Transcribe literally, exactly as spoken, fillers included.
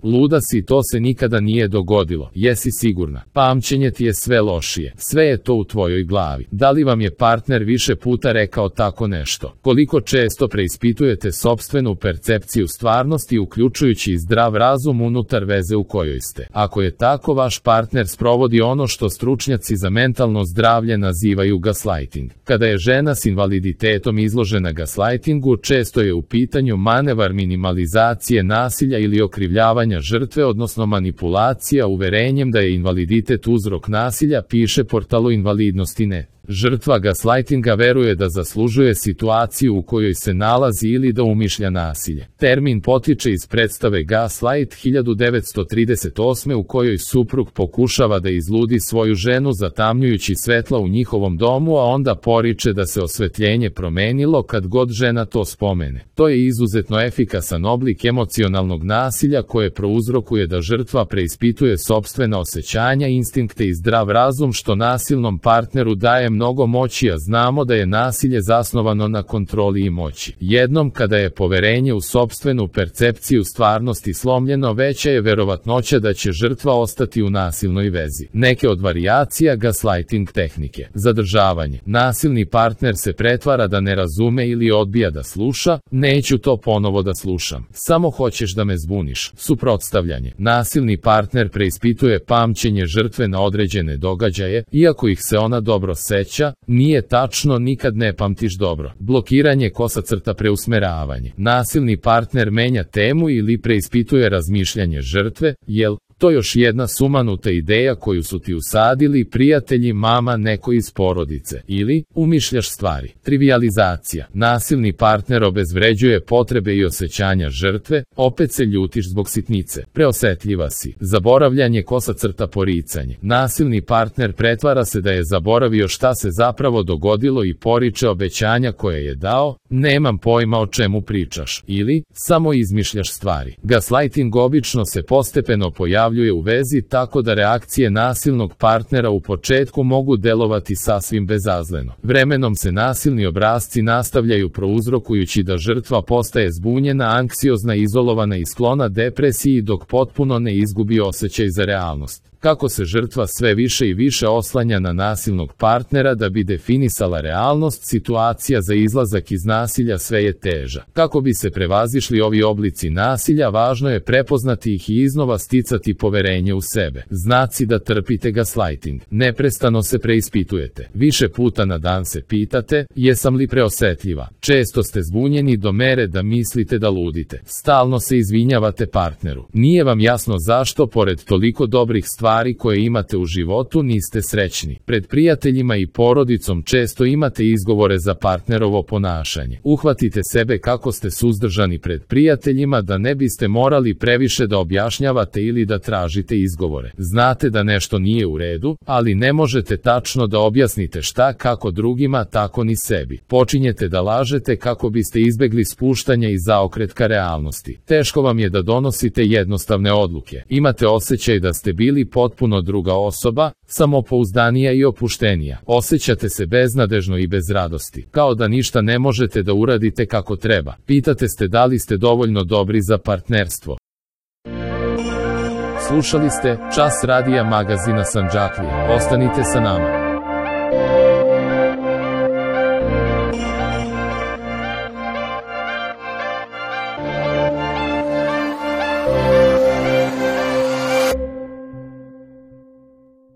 Luda si, to se nikada nije dogodilo, jesi sigurna? Pamćenje ti je sve lošije, sve je to u tvojoj glavi. Da li vam je partner više puta rekao tako nešto? Koliko često preispitujete sopstvenu percepciju stvarnosti, uključujući i zdrav razum unutar veze u kojoj ste? Ako je tako, vaš partner sprovodi ono što stručnjaci za mentalno zdravlje nazivaju gaslighting. Kada je žena s invaliditetom izložena gaslightingu, često je u pitanju manevar minimalizacije nasilja ili okrivljavanja žrtve, odnosno manipulacija uverenjem da je invaliditet uzrok nasilja, piše portalu invalidnosti net. Žrtva gaslightinga veruje da zaslužuje situaciju u kojoj se nalazi ili da umišlja nasilje. Termin potiče iz predstave Gaslight hiljadu devetsto trideset osme u kojoj suprug pokušava da izludi svoju ženu zatamnjujući svetla u njihovom domu, a onda poriče da se osvetljenje promenilo kad god žena to spomene. To je izuzetno efikasan oblik emocionalnog nasilja koje prouzrokuje da žrtva preispituje sopstvena osjećanja, instinkte i zdrav razum, što nasilnom partneru daje mnogo moći, a znamo da je nasilje zasnovano na kontroli i moći. Jednom kada je poverenje u sopstvenu percepciju stvarnosti slomljeno, veća je verovatnoća da će žrtva ostati u nasilnoj vezi. Neke od varijacija gaslighting tehnike. Zadržavanje. Nasilni partner se pretvara da ne razume ili odbija da sluša. Neću to ponovo da slušam. Samo hoćeš da me zbuniš. Suprotstavljanje. Nasilni partner preispituje pamćenje žrtve na određene događaje, iako ih se ona dobro seća. Nije tačno, nikad ne pamtiš dobro. Blokiranje kosacrta preusmeravanje. Nasilni partner menja temu ili preispituje razmišljanje žrtve, jel to još jedna sumanuta ideja koju su ti usadili prijatelji, mama, neko iz porodice, ili umišljaš stvari. Trivializacija. Nasilni partner obezvređuje potrebe i osjećanja žrtve, opet se ljutiš zbog sitnice. Preosetljiva si. Zaboravljanje kosacrta poricanje. Nasilni partner pretvara se da je zaboravio šta se zapravo dogodilo i poriče obećanja koje je dao, nemam pojma o čemu pričaš, ili samo izmišljaš stvari. Gaslighting obično se postepeno pojavljuje u vezi, tako da reakcije nasilnog partnera u početku mogu delovati sasvim bezazleno. Vremenom se nasilni obrasci nastavljaju, prouzrokujući da žrtva postaje zbunjena, anksiozna, izolovana i sklona depresiji, dok potpuno ne izgubi osjećaj za realnost. Kako se žrtva sve više i više oslanja na nasilnog partnera da bi definisala realnost, situacija za izlazak iz nasilja sve je teža. Kako bi se prevazišli ovi oblici nasilja, važno je prepoznati ih i iznova sticati poverenje u sebe. Znaci da trpite gaslighting. Neprestano se preispitujete. Više puta na dan se pitate, jesam li preosetljiva? Često ste zbunjeni do mere da mislite da ludite. Stalno se izvinjavate partneru. Nije vam jasno zašto, pored toliko dobrih stvari koje imate u životu, niste srećni. Pred prijateljima i porodicom često imate izgovore za partnerovo ponašanje. Uhvatite sebe kako ste suzdržani pred prijateljima da ne biste morali previše da objašnjavate ili da tražite izgovore. Znate da nešto nije u redu, ali ne možete tačno da objasnite šta, kako drugima, tako ni sebi. Počinjete da lažete kako biste izbegli spuštanje i zaokret ka realnosti. Teško vam je da donosite jednostavne odluke. Imate osjećaj da ste bili potpuno druga osoba, samopouzdanija i opuštenija. Osjećate se beznadežno i bez radosti, kao da ništa ne možete da uradite kako treba. Pitate se da li ste dovoljno dobri za partnerstvo. Slušali ste Čas radija magazina Sandžaklija. Ostanite sa nama.